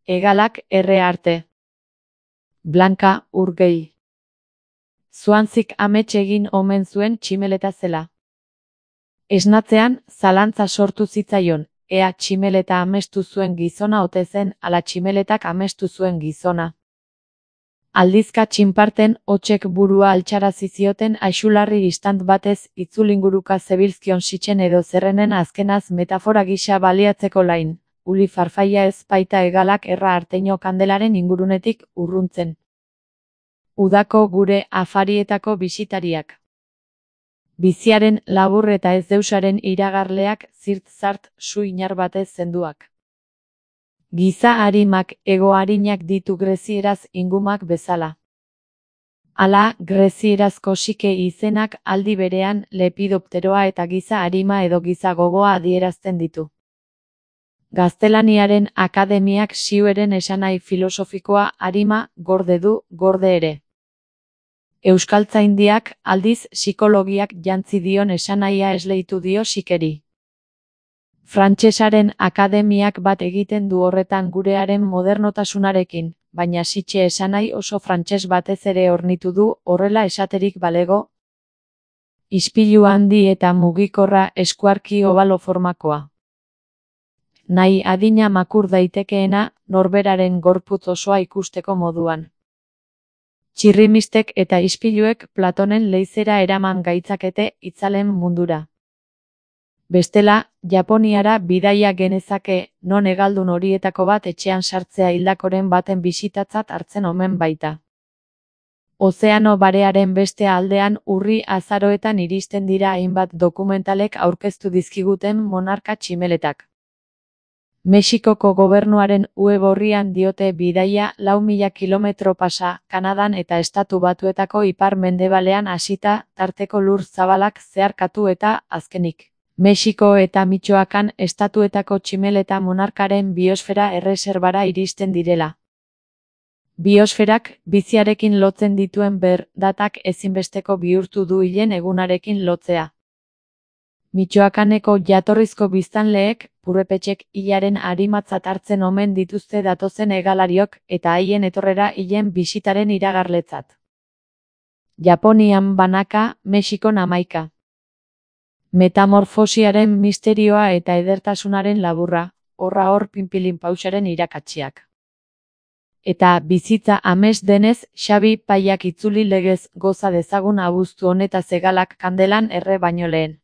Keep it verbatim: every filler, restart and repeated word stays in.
Hegalak erre arte. Blanka Urgei. Zuantzik amets egin omen zuen tximeleta zela. Esnatzean, zalantza sortu zitzaion, ea tximeleta amestu zuen gizona ote zen ala tximeletak amestu zuen gizona. Aldizka txinparten hotsek burua altxarazi zioten aixularri istant batez itzulinguruka zebilzkion sitzen edo zerrenen azkenaz metafora gisa baliatzeko lain, uli farfaia ez baita hegalak erra arteino kandelaren ingurunetik urruntzen. Udako gure afarietako bisitariak. Biziaren labur eta ez deusaren iragarleak zirt-zart su inar batez zenduak. Giza arimak ego arinak ditu grezieraz ingumak bezala. Hala, grezierazko sike izenak aldi berean lepidopteroa eta giza arima edo giza gogoa adierazten ditu. Gaztelaniaren akademiak siueren esanai filosofikoa arima gorde du, gorde ere. Euskaltzaindiak aldiz psikologiak jantzi dion esanaia esleitu dio sikeri. Frantsesaren akademiak bat egiten du horretan gurearen modernotasunarekin, baina sitxe esanai oso frantses batez ere hornitu du horrela esaterik balego. Ispilu handi eta mugikorra eskuarki obalo formakoa. Nahi adina makur daitekeena norberaren gorputz osoa ikusteko moduan. Txirrimistek eta ispiluek Platonen leizera eraman gaitzakete itzalen mundura. Bestela, Japoniara bidaia genezake, non hegaldun horietako bat etxean sartzea hildakoren baten bisitatzat hartzen omen baita. Ozeano barearen beste aldean urri azaroetan iristen dira hainbat dokumentalek aurkeztu dizkiguten monarka tximeletak. Mexikoko gobernuaren web orrian diote bidaia lau mila kilometro pasa, Kanadan eta Estatu Batuetako ipar-mendebalean hasita, tarteko lur zabalak zeharkatu eta, azkenik, Mexiko eta Mitxoakan estatuetako tximeleta monarkaren biosfera erreserbara iristen direla. Biosferak, biziarekin lotzen dituen ber, datak ezinbesteko bihurtu du hilen egunarekin lotzea. Mitxoakaneko jatorrizko biztanleek, purrepetxek hilaren arimatzat hartzen omen dituzte datozen hegalariok eta haien etorrera hilen bisitaren iragarletzat. Japonian banaka, Mexikon hamaika. Metamorfosiaren misterioa eta edertasunaren laburra, horra hor pinpilin pausaren irakatsiak. Eta bizitza ames denez, Xabi Paiak itzuli legez goza dezagun abuztu honetaz hegalak kandelan erre baino lehen.